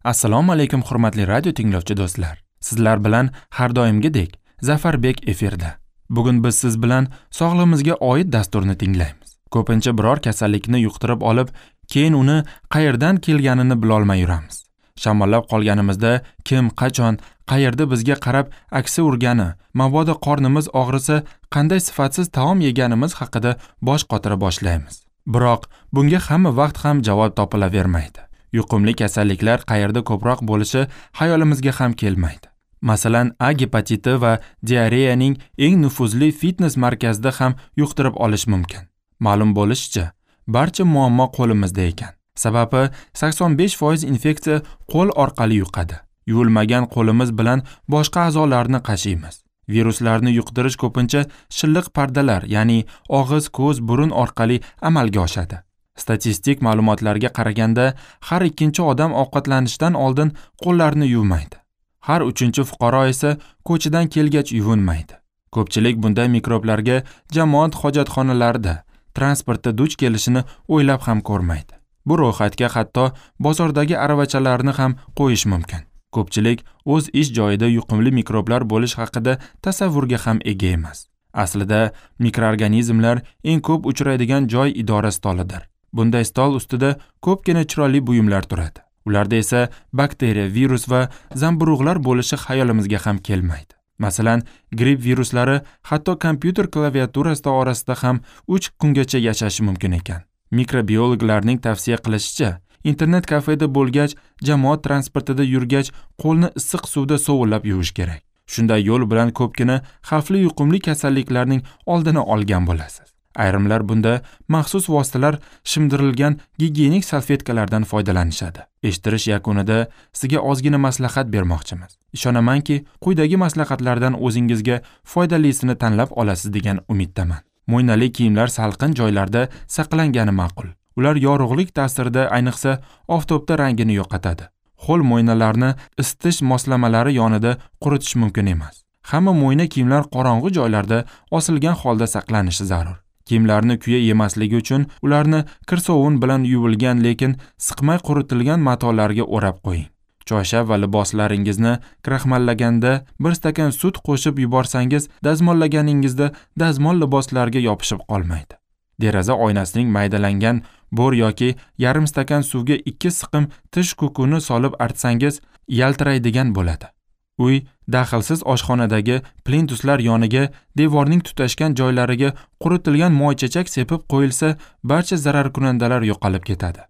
Assalomu alaykum hurmatli radio tinglovchi do'stlar. Sizlar bilan har doimgidek Zafarbek efirda. Bugun biz siz bilan sog'lig'imizga oid dasturni tinglaymiz. Ko'pincha biror kasallikni yuqtirib olib, keyin uni qayerdan kelganini bilolmay yuramiz. Shamollab qolganimizda kim, qachon, qayerda bizga qarab aksi urgani, mabodo qornimiz og'risa, qanday sifatsiz taom yeganimiz haqida bosh qotira boshlaymiz. Biroq bunga hamma vaqt ham javob topilavermaydi. Yuqumli kasalliklar qayerda ko'proq bo'lishi xayolimizga ham kelmaydi. Masalan, A gepatiti va diareyaning eng nufuzli fitness markazida ham yuqtirib olish mumkin. Ma'lum bo'lishicha, barcha muammo qo'limizda ekan. Sababi 85% infeksiya qo'l orqali yuqadi. Yuvilmagan qo'limiz bilan boshqa a'zolarni qashiymiz. Viruslarni yuqtirish ko'pincha shilliq pardalar, ya'ni og'iz, ko'z, burun orqali amalga oshadi. Statistik ma'lumotlarga qaraganda, har ikkinchi odam ovqatlanishdan oldin qo'llarini yuvmaydi. Har uchinchi fuqaro esa ko'chadan kelgach yuvinmaydi. Ko'pchilik bunday mikroblarga jamoat hojatxonalarida, transportda duch kelishini o'ylab ham ko'rmaydi. Bu ro'yxatga hatto bozordagi aravachalarni ham qo'yish mumkin. Ko'pchilik o'z ish joyida yuqumli mikroblar bo'lish haqida tasavvurga ham ega emas. Aslida mikroorganizmlar eng ko'p uchraydigan joy idora stolidir. Bunday stol ustida ko'pgina chiroyli buyumlar turadi. Ularda esa bakteriya, virus va zamburug'lar bo'lishi xayolimizga ham kelmaydi. Masalan, gripp viruslari hatto kompyuter klaviaturasi orasida ham 3 kungacha yashashi mumkin ekan. Mikrobiologlarning tavsiya qilishicha, internet kafeda bo'lgach, jamoat transportida yurgach, qo'lni issiq suvda sovullab yuvish kerak. Shunday yo'l bilan ko'pgina xavfli yuqumli kasalliklarning oldini olgan bo'lasiz. Ayrimlar bunda maxsus vositalar shimdirilgan gigiyenik salfetkalardan foydalanishadi. Eshittirish yakunida sizga ozgina maslahat bermoqchimiz. Ishonamanki, quyidagi maslahatlardan o'zingizga foydalisini tanlab olasiz degan umiddaman. Mo'ynali kiyimlar salqin joylarda saqlangani ma'qul. Ular yorug'lik ta'sirida, ayniqsa oftobda rangini yo'qotadi. Ho'l mo'ynalarni isitish moslamalari yonida quritish mumkin emas. Hamma mo'yna kiyimlar qorong'u joylarda osilgan holda saqlanishi zarur. Kiyimlarni kuya yemasligi uchun ularni kir sovun bilan yuvilgan, lekin siqmay quritilgan matolarga o'rab qo'ying. Choyshab va liboslaringizni kraxmallaganda bir stakan sut qo'shib yuborsangiz, dazmollaganingizda dazmol liboslarga yopishib qolmaydi. Deraza oynasining maydalangan bo'r yoki yarim stakan suvga 2 siqim tish kukuni solib artsangiz, yaltiraydigan bo'ladi. Uy daxlsiz oshxonadagi plintuslar yoniga devorning tutashgan joylariga quritilgan moychechak sepib qo'yilsa, barcha zararkunandalar yo'qolib ketadi.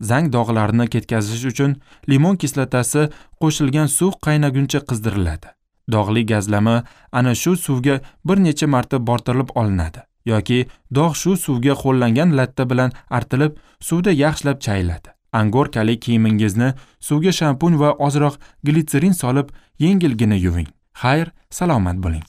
Zang dog'larini ketkazish uchun limon kislotasi qo'shilgan suv qaynaguncha qizdiriladi. Dog'li gazlama ana shu suvga bir necha marta bortirilib olinadi yoki dog' shu suvga qo'llangan latta bilan artilib, suvda yaxshilab chayiladi. Angorkali kiyimingizni suvga shampun va ozroq glitserin solib, yengilgina yuving. Xayr, salomat bo'ling.